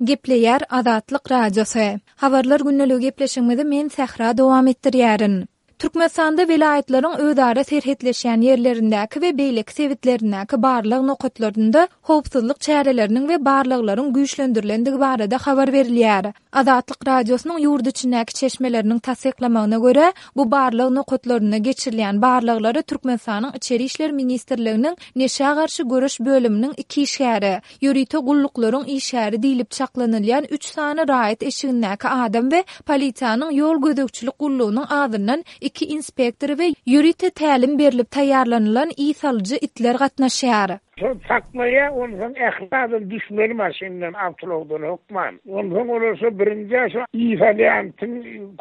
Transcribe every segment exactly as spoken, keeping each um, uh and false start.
Gepleýär Azatlyk Radiosy. Habarlar gündeligi gepleşigimizi men Sähra dowam etdirýärin. Türkmenistanda welaýatlaryň özara serhetleşýän ýerlerindäki we beýleki sebitlerindäki barlag nokatlarynda howpsuzlyk çäreleriniň we barlaglaryň güýçlendirilendigi barada habar berilýär. Azatlyk Radiosynyň ýurt içindäki çeşmeleriniň tassyklamagyna görä, bu barlag nokatlarynda geçirilýän barlaglara Türkmenistanyň Içeri işler ministrliginiň Neşä garşy göreş bölüminiň iki işgäri, ýörite gulluklaryň işgäri diýlip çaklanylýan üç sany raýat eşigindäki adam we polisiýanyň ýol gözegçilik gullugynyň azyndan iki inspektory we ýörite tälim berlip taýýarlanylan ys alyjy itler gatnaşýar. Şol saklaýar, onsoň ähli adam düşmeli maşyndan, awtoulagdan hökman. Onsoň olar şo birinji şo ys alýan itiň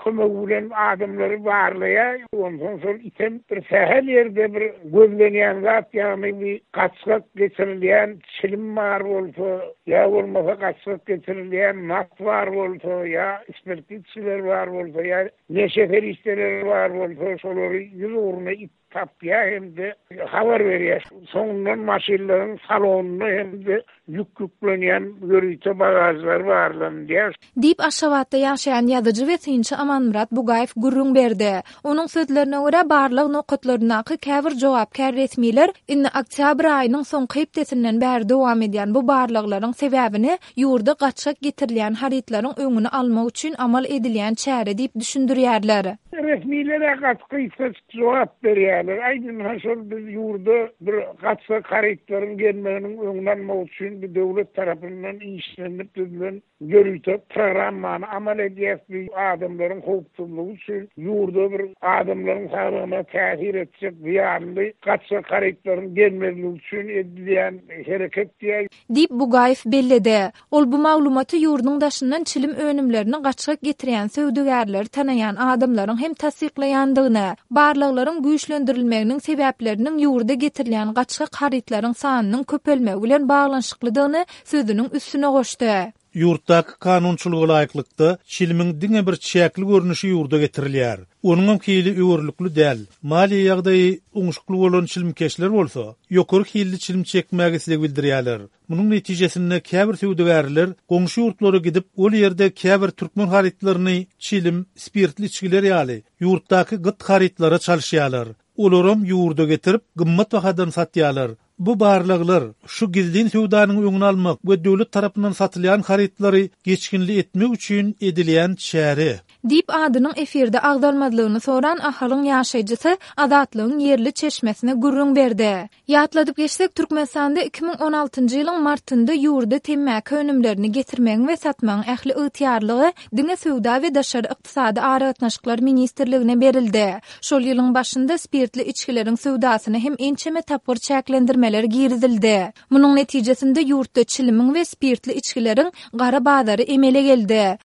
kömegi bilen adamlary barlaýar. Onsoň şol item bir sähel ýerde bir gözlenýän zat, ýagny bir gaçgak geçirilýän çilim bar bolsa, ýa bolmasa gaçgak geçirilýän nas bar bolsa, ýa spirtli içgiler bar bolsa, ýa neşe serişdeleri bar bolsa, şolary ýüz ugruna it tapýar hem-de habar berýär. Soňundan maşynlaryň salonynda hem-de ýük ýüklenýän ýörite bagažlar barlanylýar. Diýip, Aşgabatda ýaşaýan ýazyjy we synçy Amanmyrat Bugaýew gürrüň berdi. Onuň sözlerine görä, barlag nokatlaryndaky käbir jogapkär resmiler indi oktýabr aýynyň soňky hepdesinden bäri dowam edýän bu barlaglaryň sebäbini ýurda gaçgak getirilýän harytlaryň öňüni almak üçin amal edilýän çäre diýip düşündirýärler. Resmiler-ä gaty gysgajyk jogap berýärler. Aýdyň, ha şol biz ýurda bir gaçgak harytlaryň gelmeginiň öňüni almak üçin bir döwlet tarapyndan işlenilip düzülen ýörite programmany amal edýäs. Biz adamlaryň howpsuzlygy üçin ýurda bir adamlaryň saglygyna täsir etjek zyýanly gaçgak harytlaryň gelmezligi üçin edilýän hereket diýýär. Diýip, Bugaýew belledi. Ol bu maglumaty ýurduň daşyndan çilim önümlerini gaçgak getirýän söwdagärleri tanaýan adamlaryň hem tassyklaýandygyny, barlaglaryň güýçlendirilmeginiň sebäpleriniň ýurda getirilýän gaçgak harytlaryň sanynyň köpelmegi bilen baglanyşyklydygyny sözüniň üstüne goşdy. Ýurtdaky kanunçylyga laýyklykda çilimiň diňe bir çäkli görnüşi ýurda getirilýär. Onuňam hili öwürlikli däl. Maliýe ýagdaýy oňşukly bolan çilimkeşler bolsa, ýokary hilli çilim çekmäge isleg bildirýärler. Munuň netijesinde käbir söwdagärler goňşy ýurtlara gidip, ol ýerde käbir türkmen harytlaryny çilim, spirtli içgiler ýaly ýurtdaky gyt harytlara çalyşýarlar. Olaram ýurda getirip, gymmat bahadan satýarlar. Bu barlaglar şu gizlin söwdanyň öňüni almak we döwlet tarapyndan satylýan harytlary geçginli etmek üçin edilýän çäre. Diýip, adynyň efirde agzalmazlygyny soran Ahalyň ýaşaýjysy Azatlygyň ýerli çeşmesine gürrüň berdi. Ýatladyp geçsek, Türkmenistanda iki müň on altynjy ýylyň martynda ýurda temmäki önümlerini getirmegiň we satmagyň ähli ygtyýarlygy diňe Söwda we daşary ykdysady aragatnaşyklar ministrligine berildi. Şol ýylyň başynda spirtli içgileriň söwdasyna hem ençeme tapgyr çäklendirmeler girizildi. Munuň netijesinde ýurtda çilimiň we spirtli içgileriň gara bazary emele geldi.